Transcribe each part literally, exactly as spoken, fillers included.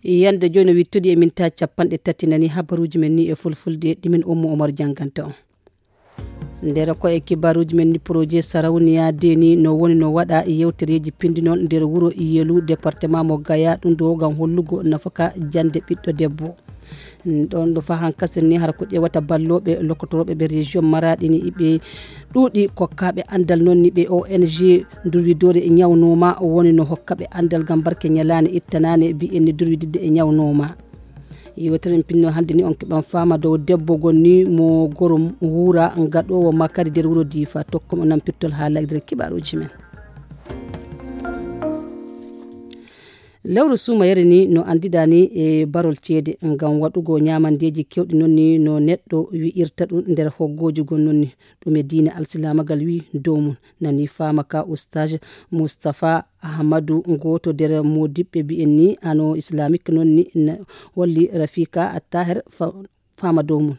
Yande jooni no wittude e minta capanɗe tati nani habaruuji men ni e fulfulde ɗimin ummo omar janganta on. Nder ko e kibaruuji men ni projet sarawniya deni no woni no waɗa yewtereeji pindinol nder wuro yelu département mo gaya ɗum ɗo ngam hollugo nafaka jande ɓiɗɗo debbo. Ɗon ɗo fa hankasen ni har ko ƴewata ballooɓe lokkotorooɓe ɓe région maraɗi ni ɓe ɗuuɗi kokkaɓe andal noon ni ɓe ong durwidore ñawnoma woni no hokkaɓe andal gam barke ñalaande ittanande mbiyen ni durwididde e ñawnoma. Yewtere en pinno hannde ni on keɓan faama dow debbo gonni mo goro wuura gaɗowo makari nder wuro difa tokkum o nan pittol haala e nder kibaruuji men. Lewru suumayere ni no anndidani e barol ceede ngam waɗugo ñaamandeeji keewɗi noon ni no neɗɗo wi'irta ɗum nder hoggooji gon noon ni ɗum e diina alsilaamagal wi dow mum. Nani faama ka ustaj mustapha ahmadu gooto nder moodiɓɓe mbi'en ni ano islamique noon ni holli rafika attahir faama dow mum.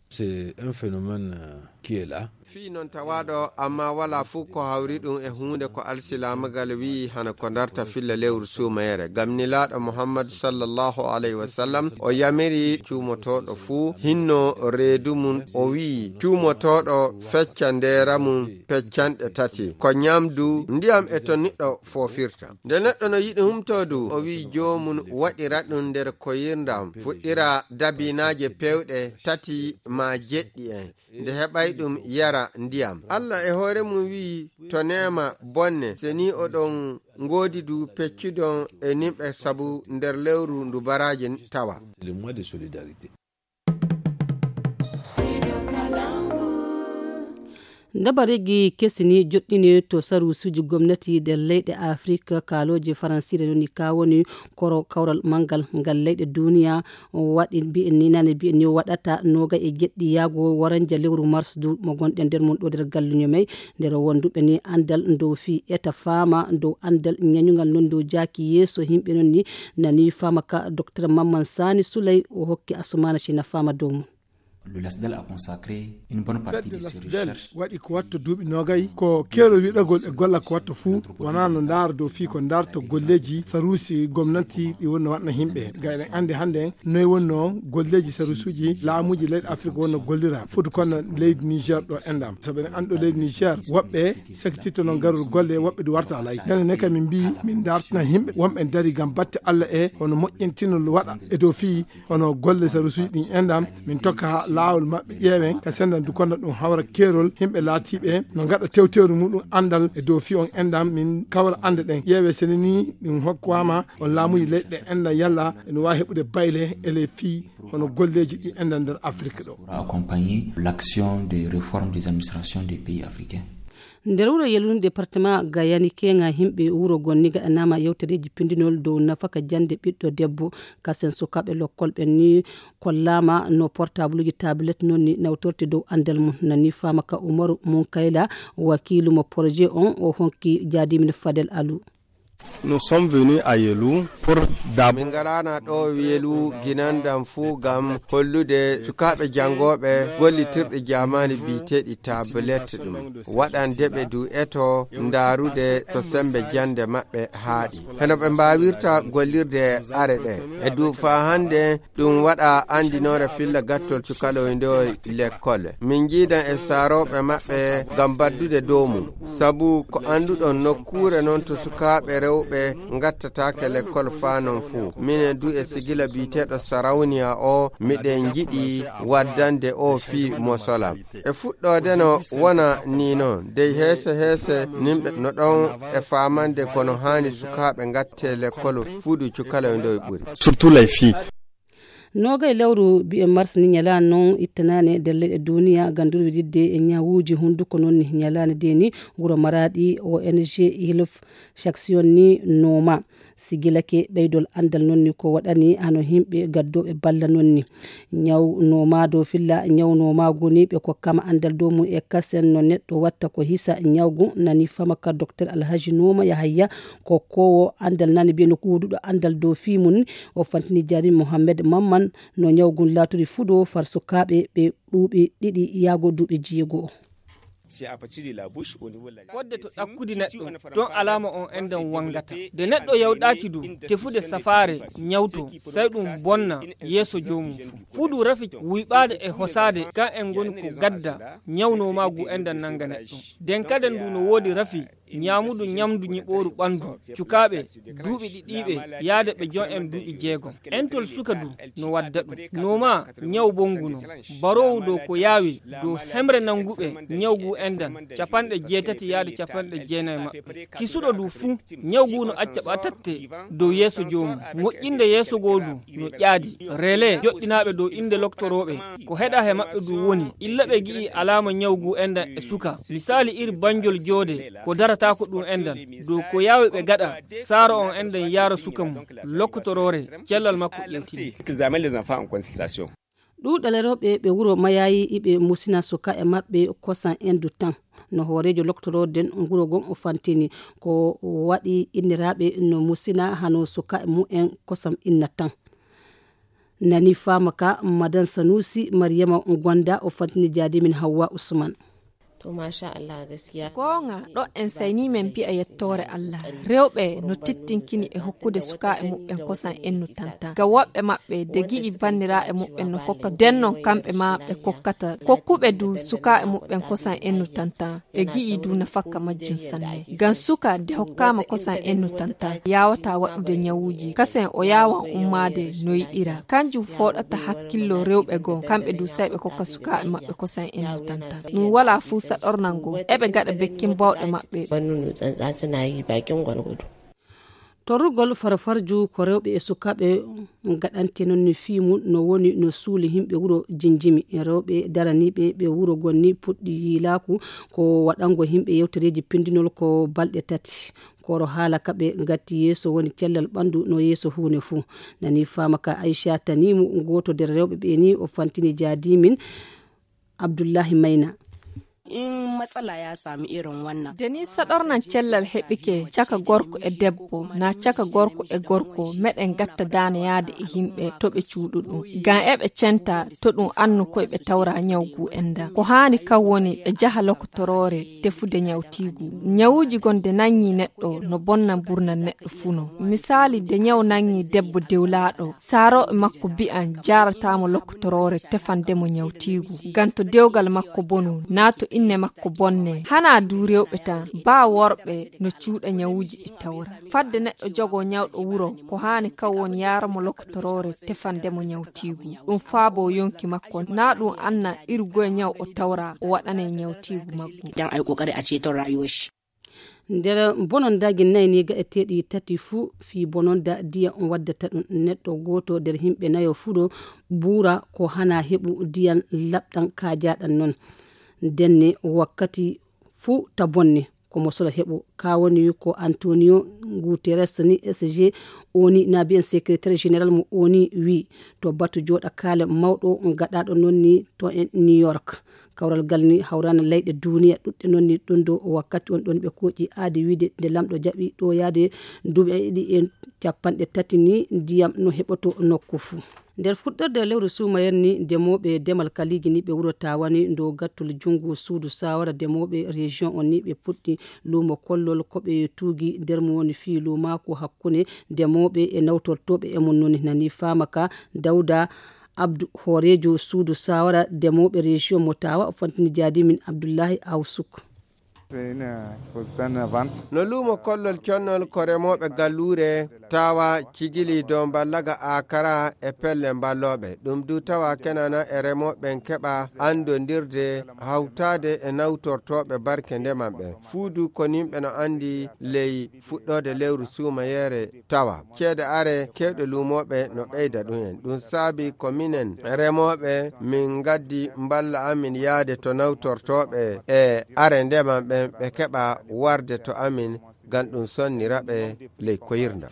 C'est un phénomène qui est là. Fii noon tawaaɗo amma walaa fuu ko hawri ɗum e huunde ko alsilaamagal wi'i hano ko darta filla lewru suumayere ngam nilaaɗo muhammadu sallallahu alayhi wa sallam o yamiri cuumotooɗo fuu hinno reedu mum o wi'i cuumotooɗo fecca ndeera mum peccanɗe tati ko ñamdu ndiyam e to niɗɗo foofirta. Nde neɗɗo no yiɗi humtoo du o wi'i joomum waɗira ɗum nder koyirndam fuɗɗira dabinaaje peewɗe tati maa jeɗɗi en nde heɓay ɗum yara ndiyam. Allah e hoore mum wi'i to neema bonne se ni oɗon ngoodi du peccudon e nimɓe sabu nder lewru ndu baraaje tawa. Dabareeji kesi ni joɗɗini to saruusuuji gomnati nder leyɗe afrik kaalooje faransiire noni ka woni koro kawral manngal ngal leyɗe duniya waɗi mbi'en ni nane mbi'en ni waɗata noga e jeɗɗi yaago waranja lewru mars du mo gonɗen nder mum ɗo nder galluño may nder wonduɓe ni anndal dow fii eta faama dow anndal ñañugal non dow jaaki yeeso yimɓe non ni nani faama ka docteur mamman sani souley o hokki asumana sina faama dow mum. Le lasdal a consacré une bonne partie de ses recherches. Waɗi ko watta duuɓi nogay ko keelo wiɗagol e golla ko watta fuu wona no ndaara dow fii ko ndarto golleeji saruusi gomnati ɗi woni no waɗna yimɓe ga eɗen anndi hannde noy wonno golleeji saruusuuji laamuuji leyɗe afrique wonno gollira foti kono leydi niger ɗo enɗam sabu eɗen anndi ɗo leydi niger woɓɓe sakititto noon garol golle woɓɓe ɗi warta alay nene ne kam min mbi min dartina yimɓe wonɓe dari gam batte allah e hono moƴƴintinol waɗa e dow fii hono golle sarusuuji ɗin enɗam min tokka laawol maɓɓe ƴeewen ka sendan du kono ɗum hawra keerol yimɓe laatiiɓe no ngaɗa tewtewre muɗum anndal e dow fii on enɗam min kawra annde ɗen ƴeewe sene ni ɗum hokkama on laamuji leyɗe ɗe enɗam yalla ene wawi heɓude bayle e ley fii hono golleeji ɗi enɗam nder afrique ɗo. Accompagner l'action de réforme des administrations des pays africains. Nder wuro yelun département gayani keŋa yimɓe wuro gonni gaɗanama yewtereji pindinol dow nafaka jande ɓiɗɗo debbo kasen sukaɓe lokkol ɓen ni kollama no portableji tablette non ni nawtorte dow andal mum nani fama ka umaru mum kayla wakilu mo projet on o honki jadimin fadel alu. Nous sommes venus à Yelou pour d'abord. Min ngarana ɗo Yelou ginandam fuu ngam hollude sukaaɓe janngooɓe gollitirɗe jaamaani biyeteeɗi tablette ɗum waɗande ɓe du eto ndaarude so semmbe jannde maɓɓe haaɗi heno ɓe mbaawirta gollirde are ɗe e du faa hannde ɗum waɗa anndinoore filla gattol cukaloyndooy lekkol min njiidan e saarooɓe maɓɓe ngam baddude dow mum sabu ko annduɗon nokkuure noon to sukaaɓe rewɓe ngattataake lekkol faa noon fuu minen du e sigila biyeteeɗo sarawniya o miɗen njiɗi waddande o fii mosolam e fuɗɗoode no wona ni noon dey heese heese nimɓe no ɗon e faamande kono haani sukaaɓe ngatte lekkol fuudu cukaloyndooy ɓuri. Surtout les filles. Noogay lewru mbiyen mars ni ñalaande non ittanaane nder leyɗe duniya ngam durwididde e ñawuuji hunnduko non ni ñalaande de ni wuro maraaɗi ong hilf chaksion ni nooma sigilake ɓeydol anndal non ni ko waɗani hano yimɓe gaddooɓe balla non ni ñaw nooma dow filla ñaw nooma goni ɓe kokkama anndal dow mum e kasen no neɗɗo watta ko hisa ñawgu nani fama ka docteur alhaji nooma yahayya ko kowo anndal nani mbiyen ko wuduɗo anndal dow fii mum o fantini jaarin mohammed mamman no ñaw ngun laaturi fuu ɗo far sukaaɓe ɓe ɗuuɓi ɗiɗi yaago duuɓi jeego. Fodde to ɗakkudi neɗɗo, ɗon alaama on enɗan wangata. Nde neɗɗo yawɗaaki du tefude safaare, nyawto, sey ɗum bonna yeeso joomum fu. Fuu du rafi wuyɓaade e hosaade, kan en ngoni ko gadda nyaw nooma ngu enɗan nanga neɗɗo. Nden kaden du no woodi rafi nyaamudu nyamdu nyiɓooru ɓandu. Cukaaɓe duuɓi ɗiɗiiɓe yaade ɓe jon en duuɓi jeegom. Entol suka du no wadda ɗum. Nooma nyaw bonngu no. Baroowu dow ko yaawi dow hemre nannguɓe nyaw ngu enɗan capanɗe jeetati yaade capanɗe jeenayi maɓɓe. Kisuɗo du fuu, nyaw ngu no acca ɓatatte dow yeeso joomum. Moƴƴinde yeeso goo du no ƴaadi. Rele joɗɗinaaɓe dow innde loktorooɓe, ko heɗa he maɓɓe du woni, illa ɓe gi'i alaama nyaw ngu enɗan e suka. Misaali iri banjol joode, ko darataako ɗum enɗan. Dow ko yaawi ɓe gaɗa, saaro on enɗan yaara suka mum, lokkotoroore, cellal makko ƴeewtini. Examen les enfants en consultation. Ɗuuɗal rewɓe ɓe wuro Mayayi iɓe musina sukaaɓe maɓɓe kosan endu tan. No hooreejo loktoroode nden wuro ngon o fantini, ko waɗi inniraaɓe no musina hano sukaaɓe mumen kosan inna tan. Nani faama ka Madan Sanusi Mariyama Gonda o fantini jaadi min Hawwa Usman. To, masha Allah, gaskiya. Goonga, ɗo en sayni men mbi'a yettoore Allah. Rewɓe no tittinkini e hokkude sukaaɓe muɓɓen kosan ennu tantan. Ngam woɓɓe maɓɓe, de gi'i banniraaɓe muɓɓen no kokka, den non kamɓe ma ɓe kokkata. Kokkuɓe du sukaaɓe muɓɓen kosan ennu tantan, ɓe gi'i du nafakka majjum sanne. Ngam suka de hokkaama kosan ennu tantan, yaawataa waɗude nyawuuji. Kasen o yaawan ummaade no yiɗira. Kanjum fooɗata hakkillo rewɓe goo, kamɓe du sey ɓe kokka sukaaɓe maɓɓe kosan ennu tantan. Ɗum walaa fuu saɗornal ngol. Eɓe gaɗa bekkin bawɗe maɓɓe. Bannu no tsantsa suna yi bakin gwargwado. Torrugol farfarju ko rewɓe e sukaaɓe gaɗante non ni fii mum no woni no suuli yimɓe wuro Jinjimi. Rewɓe daraniiɓe ɓe wuro gonni puɗɗi yiilaaku ko waɗango yimɓe yewtereeji pindinol ko balɗe tati. Koro haala ka ɓe gatti yeeso woni cellal ɓandu no yeeso huune fuu. Nani faama ka Aisha Tanimu, gooto nder rewɓe ɓe ni o fantini jaadi min Abdullahi Maina. In matsala ya samu irin wannan. Nde ni saɗornan cellal heɓike caka gorko e debbo, na caka gorko e gorko, meɗen gatta daane yaade e yimɓe to ɓe cuuɗu ɗum. Ngam eɓe centa to ɗum annu koy ɓe tawra nyaw ngu enɗan. Ko haani kan woni ɓe jaha lokotoroore tefude nyawtiigu. Nyawuuji gon nde nangi neɗɗo no bonna mburnal neɗɗo fuu no. Misaali, nde nyaw nangi debbo dewlaaɗo, saarooɓe makko mbi'an jaarataamo lokotoroore tefande mo nyawtiigu. Ngam to dewgal makko bonu, naa to inne makko bonne. Hanaa du rewɓe tan, baa worɓe no cuuɗa nyawuuji ɗi tawra. Fadde neɗɗo jogoo nyawɗo wuro, ko haani kan woni yaara mo lokotoroore tefande mo nyawtiigu. Ɗum faaboo yonki makko, naa ɗum anna iri goye nyaw o tawra, o waɗanee nyawtiigu maggu. Dan a yi ƙoƙari a ceton rayuwar shi. Nder bononndaaji nayi ni ga'eteeɗi tati fuu fii bononnda ndiyam waddata ɗum. Neɗɗo gooto nder yimɓe nayo fuu ɗo buura ko hana heɓu ndiyam laɓɗam kaajaaɗam non. Ndenne wakkati fuu ta bonne ko mo solo heɓo. Ka woni ko Antonio Guterres ni S G oni na mbiyen secrétaire général mo oni wi to batu jooɗa kaale mawɗo gaɗaaɗo non ni to en New York. Kawral ngal ni hawrana leyɗe duniya ɗuɗɗe non ni ɗum ɗo wakkati on ɗon ɓe kooƴi aadi wiide nde lamɗo jaɓi ɗo yaade duuɓi ɗiɗi e capanɗe tati ni ndiyam no heɓoto nokku fuu. Nder fuɗɗorde lewru suumayere ni, demooɓe demal kaliiji ni ɓe wuro Tawani ndo gattol junngo suudu saawara demooɓe région on ni ɓe puɗɗi luumo kollol ko ɓe tuugi nder mo woni fii luumaaku hakkunde demooɓe e nawtortooɓe e mum noni nani faama ka Dawda Abdu hooreejo suudu saawara demooɓe région mo Tawa o fantini jaadi min Abdullahi Awsuk. No luumo kollol connol ko remooɓe galluure Tawa cigili dow mballaga Akara e pelle mballooɓe. Ɗum du tawa kenana e remooɓe ɓen keɓa anndondirde hawtaade e nawtortooɓe barke ndeman ɓen. Fuu du ko nimɓe no anndi ley fuɗɗoode lewru suumayeere tawa. Ceede are kewɗe luumooɓe no ɓeyda ɗum en. Ɗum saabi ko minen remooɓe min ngaddi mballa amin yaade to nawtortooɓe e are ndeman ɓen ɓe keɓa warde to amin ngam ɗum sonnira ɓe ley koyirndam.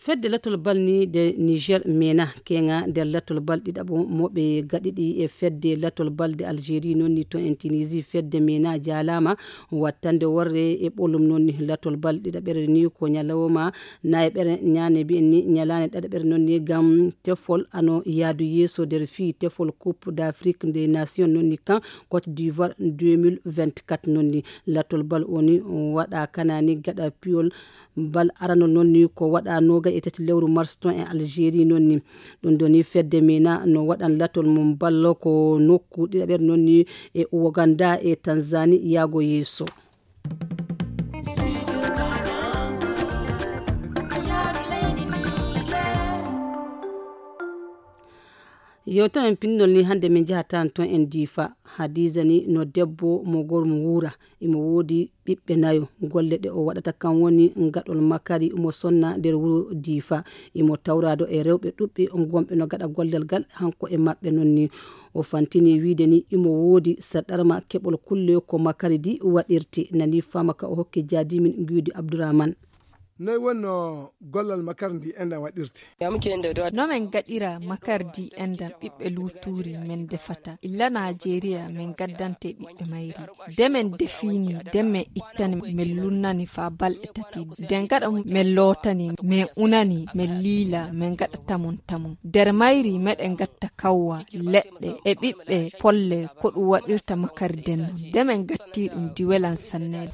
Fedde latol bal ni de Niger mena keŋa nder latol bal ɗiɗaɓo mo ɓe gaɗiɗi e fedde latol bal de Algérie noon ni to en Tunisie. Fedde mena jaalama wattande worre e ɓolum noon ni latol bal ɗiɗaɓere ni ko ñalawma nayeɓere ñaane mbiyen ni ñalaande ɗaɗaɓere noon ni ngam tefol ano yaadu yeeso nder fii tefol Coupe d'Afrique des Nations noon ni kan Côte d'Ivoire deux mille vingt-quatre noon ni. Latol bal o ni waɗa kanani gaɗa piyol bal aranol noon ni ko waɗa noga e tati lewru mars ton e Algérie noon ni. Ɗum ɗo ni fedde mena no waɗan latol mum bal ko nokku ɗiɗaɓere noon ni e Ouganda e Tanzanie yaago yeeso. Yewtere men pinndol ni hannde min njahata toon en Diifa. Hadiija ni no debbo mo gormo wuura. Imo woodi ɓiɓɓe nayo. Golle ɗe o waɗata kan woni gaɗol makari mo sonna nder wuro Diifa. Imo tawraado e rewɓe ɗuɓɓe gonɓe no gaɗa gollel gal hanko e maɓɓe noon ni. O fantini wiide ni imo woodi saɗarma keɓol kulle ko makari di waɗirte. Nani fama ka o hokki jaadimin Guydi Abdurahman. Noy wonno gollal makar ndi enɗan waɗirte? No men gaɗira makar di enɗan ɓiɓɓe luutuuri men defata illa Najeriya men gaddante ɓiɓɓe mayri. De men defini de men ittani men lunnani fa balɗe tati. De gaɗa men lootani men unani men liila men gaɗa tamon tamon. Der mayri meɗen gatta kawwa leɗɗe e ɓiɓɓe polle ko ɗum waɗirta makar den. De men gatti ɗum di welan sanne.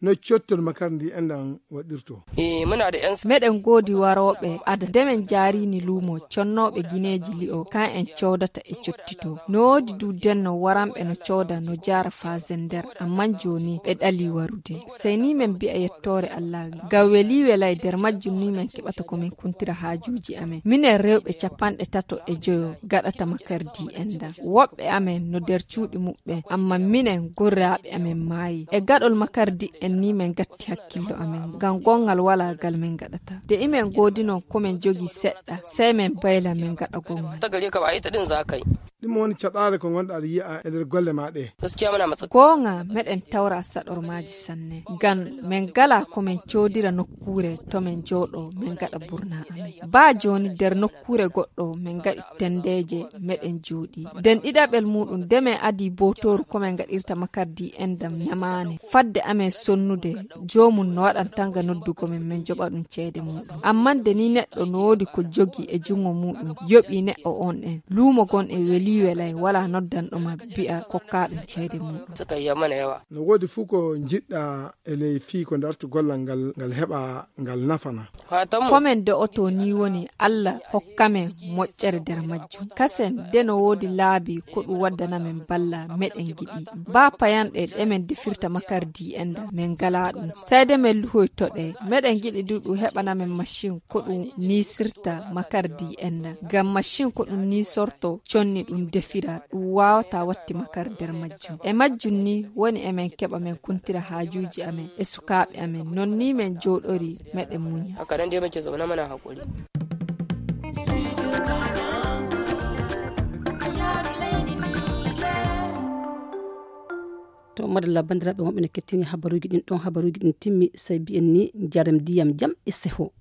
No cottol makar ndi enɗan waɗirto? Meɗen goodi warooɓe ada de men jaarini luumo connooɓe gineeji li'o kan en coodata e cottito. No woodi du denno waranɓe no cooda no jaara faasen nder amman jooni ɓe ɗali warude. Sey ni men mbi'a yettoore Allah. Ngam welii welay nder majjum ni men keɓata ko men kuntira haajuuji amen. Minen rewɓe capanɗe tato e joyo gaɗata makardi enɗan. Woɓɓe amen no nder cuuɗi muɓɓen amma minen gorraaɓe amen maayi. E gaɗol makardi en ni men gatti hakkillo amen ngam gongal walaa gal men gaɗata. De imen goodi non ko men jogi seɗɗa sey men bayla men gaɗa gongal. Ɗum woni caɗaale ko ngonɗa aɗa yi'a e nder golle ma ɗe. Goonga meɗen tawra saɗormaaji sanne ngam men gala ko men coodira nokkuure to men jooɗo men gaɗa burna amen. Baa jooni nder nokkuure goɗɗo men gaɗi tendeeje meɗen jooɗi. Den ɗiɗaɓel muɗum de men adi bootooru ko men gaɗirta makardi enɗam ñamaane fadde amen sonnude. Joomum no waɗan tanga noddugo men men joɓa ɗum ceede muɗum. Amman de ni neɗɗo no woodi ko jogi e jungo muɗum yoɓi neɗɗo on en luumo gon e welii welay wala noddanɗo ma bi'a kokka ɗum ceede muɗum. No woodi fuu ko njiɗɗa e ley fii ko dartu gollal ngal ngal heɓa ngal nafana. Ko men do'oto ni woni Allah hokka men moƴƴere nder majjum. Kasen de no woodi laabi ko ɗum waddana men balla meɗen giɗi. Baa payanɗe ɗe men defirta makardi enɗan men ngalaa ɗum. Sey de men luhoyto ɗe. Meɗen giɗi du ɗum heɓana men macin ko ɗum niisirta makardi enɗan. Ngam macin ko ɗum niisorto conni ɗum defira ɗum waawata watti makar nder majjum. E majjum ni woni emen keɓa men kuntira haajuuji amen e sukaaɓe amen. Non ni men jooɗori meɗen muña. To madalla banndiraaɓe wonɓe no kettini habaruuji ɗin ɗon habaruuji ɗin timmi sey mbiyen ni njaram ndiyam jam e seho.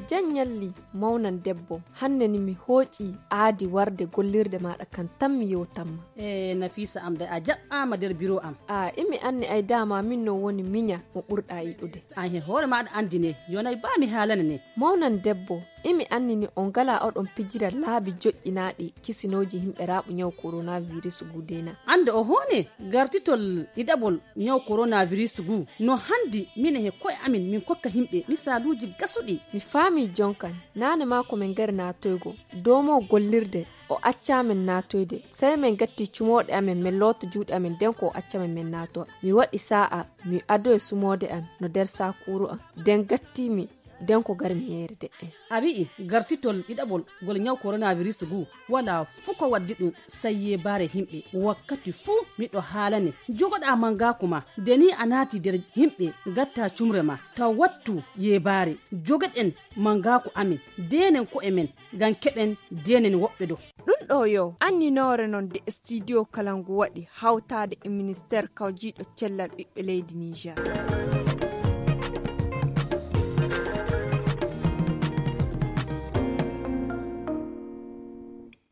Jan ñalli mawnan debbo. Hannde ni mi hooƴi aadi warde gollirde maaɗa kan tan mi yewtanma. E nafisa am de a jaɓɓaama nder biro am. A imi anni ay dama min no woni miña mo ɓurɗa yiɗude. An he hoore maɗa anndi ne yonay ba mi haalana ne. Mawnan debbo imi anni ni on ngala oɗon pijira laabi joƴƴinaaɗi kisinooji himɓe raaɓu ñaw koronavirus gudena. Annde o hoone gartitol ɗiɗaɓol ñaw koronavirus gu no hanndi minen he koye amin min kokka himɓe misaaluuji gasuɗi. Mi faami jonkan naane maa ko min ngari naatoygo doomo gollirde o accaa min naatoyde sey min gatti cumooɗe amin min loota juuɗe amin nden ko o acca min min naatowa. Mi waɗi saa'a mi adoye sumoode an no nder saakuuru an nden gatti mi Den ko garmi yeere deɗɗen. A wi'i gartitol ɗiɗaɓol ngol ñaw koronavirus ngu, walaa fuu ko waddi ɗum, sai yeebaare himɓe. Wakkati fuu miɗo haalane, jogoɗaa mangaaku ma. Nde ni a naati nder himɓe, ngatta cumre ma, taw wattu yeebaare. Jogoɗen mangaaku amin, deenen ko'e men, ngam keɓen deenen woɓɓe ɗo. Ɗum ɗo yo anninoore non de studio kala ngu waɗi hawtaade e ministeer kawjiiɗo cellal ɓiɓɓe leydi Niger.